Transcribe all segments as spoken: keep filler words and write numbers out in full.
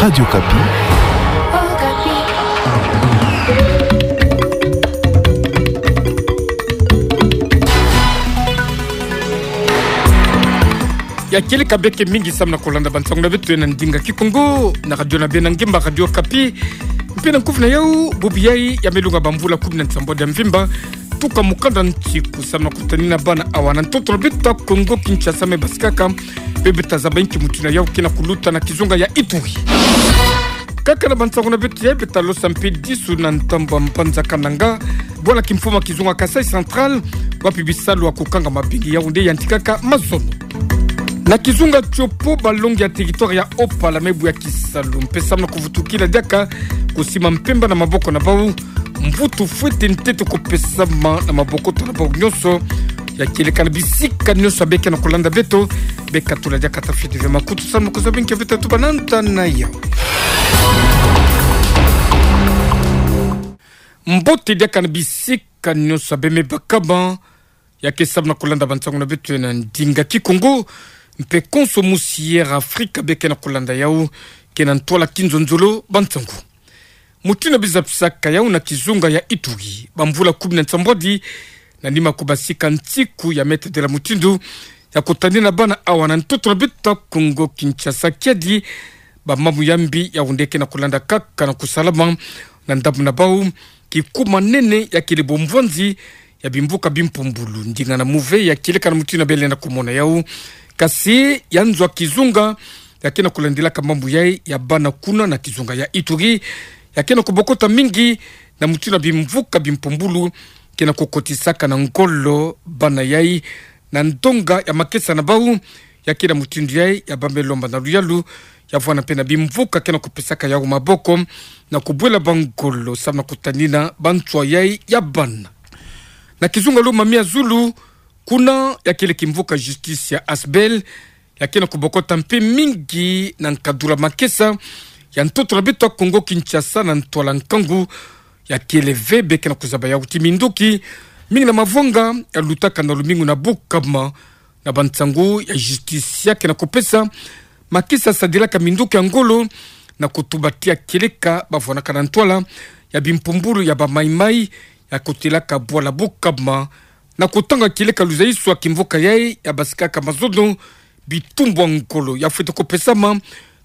Radio Okapi. Ya kieleka beke mingi samu na kolanda bansangu na beto na ndinga Kikongo na radio na beno ya ngemba, Radio Okapi. Mpe na nkufi na yau, bubu yai ya melunga bamvula kumi na nsambwadi ya mvimba, tuka mukanda ntiku samu na kutanina bana awa na ntoto na beto ya Kongo Kinshasa me basikaka, mpe beta zaba nki mutindu yau ke na kuluta na kizunga ya Ituri. Kaka na bansangu na beto yai, beta losa mpe disu na ntambo ya mbanza Kananga, bwala kimfumu ya kizunga Kasaï Central, wapi bisalu ya kukanga mabengi yau nde yantikaka mazono. Na kizunga Tshopo, balongi ya territoire ya Opala me bwe ya kisalu mpe samu na kuvutukila diaka kusima mpemba na maboko na bau, mvutu fwete ntete kupesama na maboko na bau nyonso. Ya kieleka na bisika nyonso ya beke na kolanda beto, beka tula diaka tafiti ve makutu samu na kuzaba nki beto tuba na nta na yau. Mbote diaka na bisika nyonso ya beno me bakama ya ke samu na kolanda bansangu na beto na ndinga Kikongo, mpe konso musi Air Afrika beke na kolanda yau, ke na ntwala kinzonzolo bansangu. Mutindu biza pisaka yau na kizunga ya Ituri, bamvula kumi na nsambwadi na nima kubasika ntiku ya meta dela mutindu ya kutanina bana awa na ntoto na beto ya Kongo Kinshasa, kiadi bamamu ya mbi yau nde ke na kulanda kaka na kusalama na ndambu na bau, kikuma nene ya kele bomvwanzi ya bimvuka bimpumbulu, ndinga na muve ya kieleka na mutindu belenda kumona yau. Kasi ya nzo ya kizunga ya ke na kulandilaka mambu yai ya bana kuna na kizunga ya Ituri, ya ke na kubokota mingi na mutindu bimvuka bimpumbulu ke na kukotisaka na ngolo bana yai na ndonga ya makesa na bau. Ya ke na mutindu yai ya bambe lomba na luyalu, ya vwanda mpe na bimvuka ke na kupesaka yau maboko na kubwela bangolo samu na kutanina banswa yai ya bana. Na kizunga Lomami ya zulu, kuna ya kele kimvuka justice ya Asbel, ya ke na kubokota mpe mingi na nkadula makesa ya ntoto na beto ya Kongo Kinshasa na ntwala nkangu. Ya kele ve beke na kuzaba yau ti minduki mingi na mavwanga ya lutaka na lumingu na bukama na bansangu ya justice ya ke na kupesa makesa sadilaka minduki ya ngolo na kutuba ti ya kieleka bavwanaka na ntwala ya bimpumbulu ya bamaimai ya kutelaka bwala bukama, na kutanga kieleka luzaiso ya kimvuka yai ya basikaka mazono, bitumbu ya ngolo ya fwete kupesama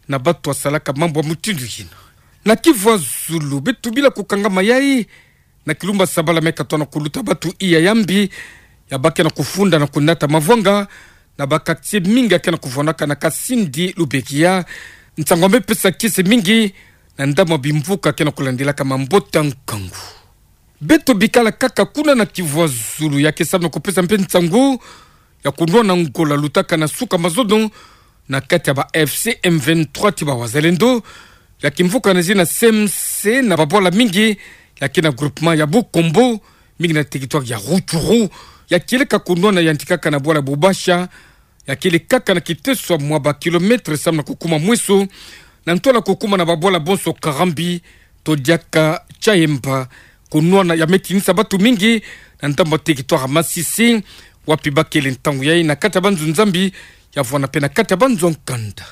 na bato ya salaka mambu ya mutindu yina. Na Kivu ya zulu, beto bila kukangama yai na kilumba Sabala me katona kuluta bato iya ya mbi ya ba ke na kufunda na kunata mavwanga na ba quartier mingi ya ke na kuvwanaka na Kasindi Lubekia. Nsangu ya me pesa kiese mingi na ndambu ya bimvuka ke na kulandilaka mambote ya nkangu. Beto bikala kaka kuna na Kivu ya zulu, ya ke samu na kupesa mpe nsangu ya kunwana ngolo lutaka na suka mazono na kati ya ba F C M vingt-trois ti ba Wazalendo, ya kimvuka na zina C M C na babwala mingi ya ke na groupement ya Bukombo, mingi na territoire ya Rutshuru. Ya kieleka kunwana yantikaka na bwala Bubasha, ya kele kaka na kiteso mwa ba kilomètre samu na kukuma Mweso, na ntwala kukuma na babwala bonso Karambi to diaka Tchaemba. Kunwana ya me tinisa bato mingi na ndambu ya territoire Masisi, wapi ba kele ntangu yai na kati ya banzo Nzambi, ya vwanda mpe na kati ya banzo nkanda.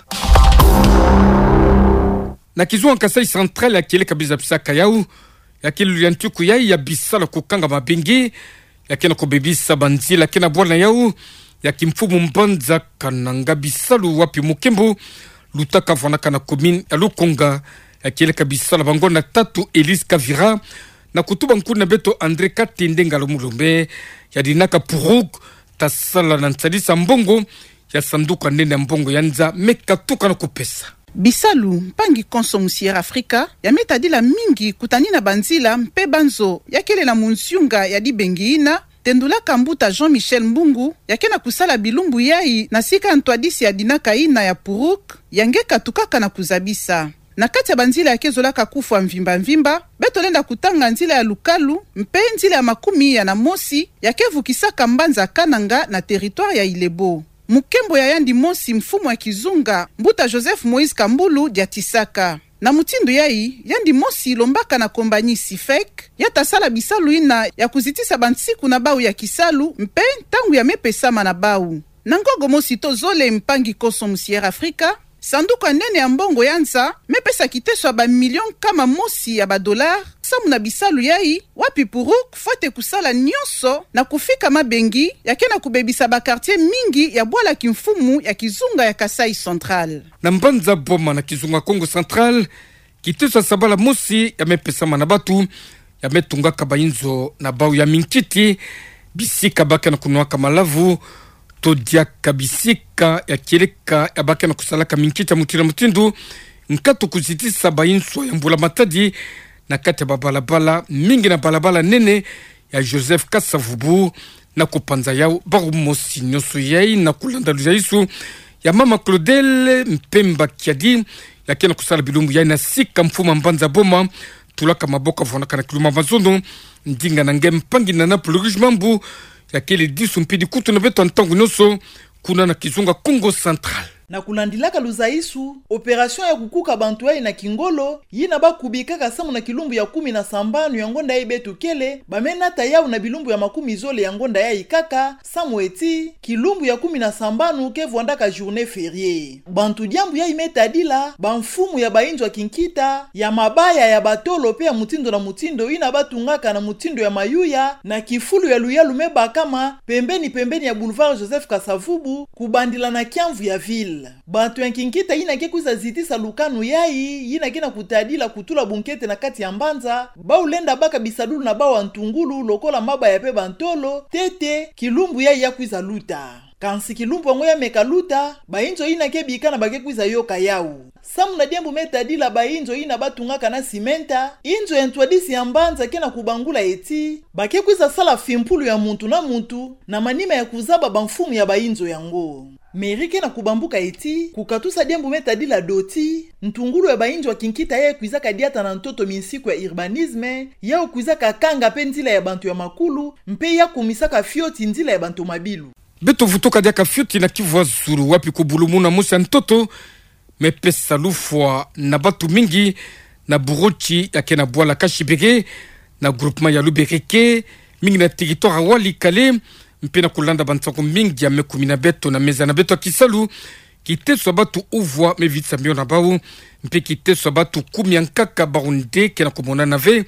Na kizunga Kasaï Central, ya kieleka biza pisaka yau, ya kele luyantiku yai ya bisalu ya kukanga mabengi ya ke na kubebisa banzila ke na bwala na yau ya kimfumu mbanza Kananga, bisalu wapi mukembo lutaka vwanaka na commune ya Lukonga. Ya kieleka bisalu ya bangonda tatu Elise Kavira na kutuba nkuna beto André Katende Ngalo Mulumbe, yadinaka Puruk, ta sala na nsadisa mbongo ya sanduku ya nene ya mbongo ya nza me katuka na kupesa. Bisalu mpangi konso musi Air Afrika ya me tadila mingi kutanina banzila mpe banzo ya kele na munsiunga ya dibengi yina, tendulaka mbuta Jean-Michel Mbungu, ya ke na kusala bilumbu yai na sika ntwadisi ya dinaka yina ya Puruk, ya nge katukaka na kuzabisa. Na kati ya banzila ya ke zolaka kufwa mvimba mvimba, beto lenda kutanga nzila ya Lukalu mpe nzila ya makumi ya na mosi ya ke vukisaka mbanza Kananga na territoire ya Ilebo. Mukembo ya yandi mosi mfumu ya kizunga, mbuta Joseph Moïse Kambulu, diatisaka. Na mutindu yai, yandi mosi lombaka na kombanyi Sifec, ya ta sala bisalu yina ya kuzitisa bansiku na bau ya kisalu mpe ntangu ya me pesama na bau. Na ngogo mosi to zole, mpangi konso musi Air Afrika, Sanduku ya nene ya mbongo ya nza mepesa kiteso ya ba million nkama mosi ya ba dollars samu na bisalu yai, wapi Puruk fwete kusala nyonso na kufika mabengi ya ke na kubebisa ba quartiers mingi ya bwala kimfumu ya kizunga ya Kasaï Central. Na mbanza Boma na kizunga Kongo Central, kiteso ya sabala mosi ya mepesama na batu ya metungaka bainzo na bau ya minkiti, bisika ba ke na kunwaka malavu, to diaka bisika ya kieleka ya ba ke na kusalaka minkiti ya mutindu na mutindu, nkatu kuzitisa bainzo ya mbula matadi na kati ya babalabala mingi na balabala nene ya Joseph Kasavubu, na kupanza yau bawu mosi. Nyonso yai na kulanda luzaisu ya mama Claudel Mpemba Kiadi, ya ke na kusala bilumbu yai na sika mfumu ya mbanza Boma, tulaka maboko, vwanaka na kiluma mazono, ndinga na nge mpangi na Napoli Rouge Mambu, ya kele disu mpidi kutu na beto ya ntangu nyonso, kuna na kizunga Kongo Central. Na kulandilaka luzaisu, opération ya kukuka bantu yai na kingolo, yina ba kubikaka samu na kilumbu ya kumi na sambanu ya ngonda yai beto kele, ba menata yau na bilumbu ya makumi zole ya ngonda yai kaka, samu eti, kilumbu ya kumi na sambanu ke vwandaka journée fériée. Bantu diambu yai metadila, bamfumu ya bainzo ya kinkita, ya mabaya, ya batolo mpe ya mutindu na mutindu yina ba tungaka na mutindu ya mayuya, na kifulu ya luyalu mebakama, pembeni pembeni ya boulevard Joseph Kasavubu, kubandila na kiamvu ya ville. Bantu ya kinkita yina ke kwiza zitisa lukanu yai, yina ke na kutadila kutula bunkete na kati ya mbanza, bawu lenda baka bisadulu na bawu ya ntungulu, lokola mabaya mpe bantolo, ntete, kilumbu yai ya kwiza luta. Kansi kilumbu yango ya meka luta, bainzo yina ke bikana ba ke kwiza yoka yau. Samu na diambu metadila bainzo yina ba tungaka na simenta, inzo ya ntwadisi ya mbanza ke na kubangula eti, ba ke kwiza sala fimpulu ya muntu na muntu, na manima ya kuzaba bamfumu ya bainzo yango. Mairie ke na kubambuka eti, kukatusa diambu metadila doti, ntungulu ya bainzo ya kinkita yai kwizaka diata na ntoto minsiku ya urbanisme, yau kwizaka kanga mpe nzila ya bantu ya makulu, mpe ya kumisaka fioti nzila ya bantu mabilu. Beto vutuka diaka fioti na kivu ya zulu, wapi kubulumuna mosi ya ntoto mepesa lufwa na batu mingi na buroti ya ke na bwala Kashibere, na groupement ya Lubereke, mingi na territoire ya Walikale, mpe na kulanda bansangu mingi ya mekumina beto na meza na beto ya kisalu, kiteso ya batu uvwa mevitisa mio na bawu, mpe kiteso ya batu kumi ya nkaka bawu nde ke na kumonana ve.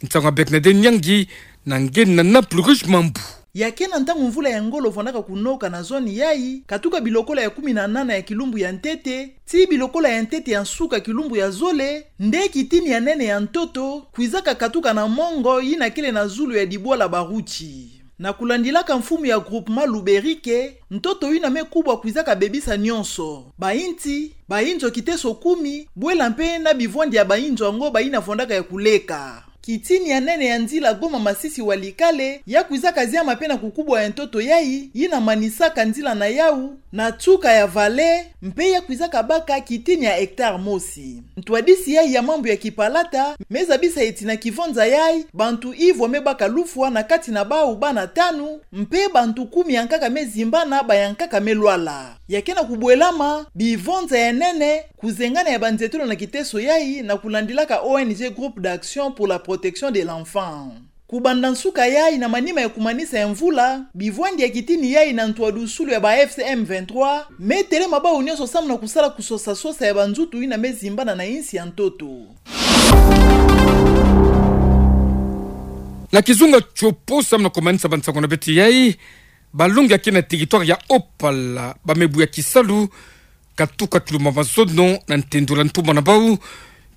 Nsangu ya Bernadette Nyangi, na nge na Napoli Rouge Mambu. Ya ke na ntangu mvula ya ngolo vwandaka kunoka na zone yai, katuka bilokola ya kumi na nana ya kilumbu ya ntete, tii bilokola ya ntete ya nsuka kilumbu ya zole, nde kitini ya nene ya ntoto kwizaka katuka na mongo yina kele na zulu ya dibwala Baruti. Na kulandilaka mfumu ya groupement Luberike, ntoto yina mekubwa kwizaka bebisa nyonso: bainti, bainzo kiteso kumi, bwela mpe na bivwandi ya bainzo yango bayina vwandaka ya kuleka. Kitini ya nene ya nzila Goma Masisi Walikale, ya kwizaka ziama mpe na kukubwa ya ntoto yai, yina manisaka nzila na yau na nsuka ya vallée, mpe ya kwizaka baka kitini ya hectare mosi. Ntwadisi yai ya mambu ya kipalata mezabisa eti na kivonza yai, bantu ivwa mebaka lufwa, na kati na bawu bana tanu, mpe bantu kumi ya nkaka mezimbana, ba ya nkaka melwala. Ya ke na kubwelama bivonza ya nene kuzengana ya banzietolo na kiteso yai, na kulandilaka O N G Groupe d'Action pour la Protection de l'Enfant. Kubanda nsuka yai, na manima ya kumanisa ya mvula, bivwandi ya kitini yai na ntwadusulu ya ba F C M vingt-trois metelema bawu nyonso samu na kusala kusosa-sosa ya banzutu yina mezimbana na insi ya ntoto. Na kizunga Tshopo, samu na kumanisa bansangu na beto yai, balongi ya ke na territoire ya Haut-Pala ba mebuya kisalu, katuka kilumbu ya mazono na ntendula ntumwa na bawu,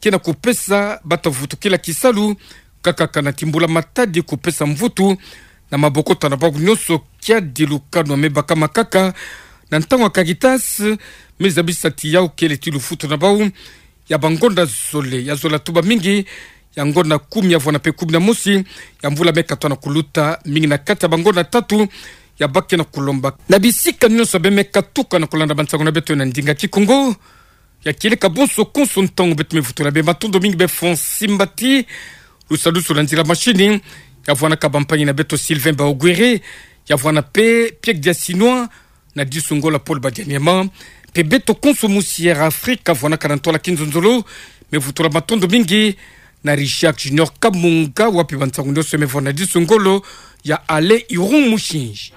ke na kupesa bata vutukila kisalu, kakaka na timbula matadi kupesa mvutu na mabokota na bawu nyonso, kiadi lukanu ya mebakama kaka na ntangu ya Caritas mezabisa ti yau kele ti lufutu na bawu ya bangonda zole, ya zola tuba mingi, ya ngonda kumi ya vwanda mpe kumi na mosi ya mvula mekatwa na kuluta, mingi na kati ya bangonda tatu ya ba ke na kulomba. Na bisika nyonso bemeka tuka na kulanda bansangu na beto na ndinga Kikongo, ya kieleka bonso konso ntangu, beto mevutula beno matondo mingi, beno fwani mbati. Lusadusu lwa nzila machine ya vwanaka bampangi na beto Sylvain Baogwere, ya vwana mpe Pierre Diasinois, na disu ngolo Paul Badianiama, mpe beto konso musi Air Afrique vwanaka na ntwala kinzonzolo, mevutula matondo mingi na Richard Junior Kamunga, wapi bansangu nyonso mevwana na disu ngolo ya Alain Iron Mushinji.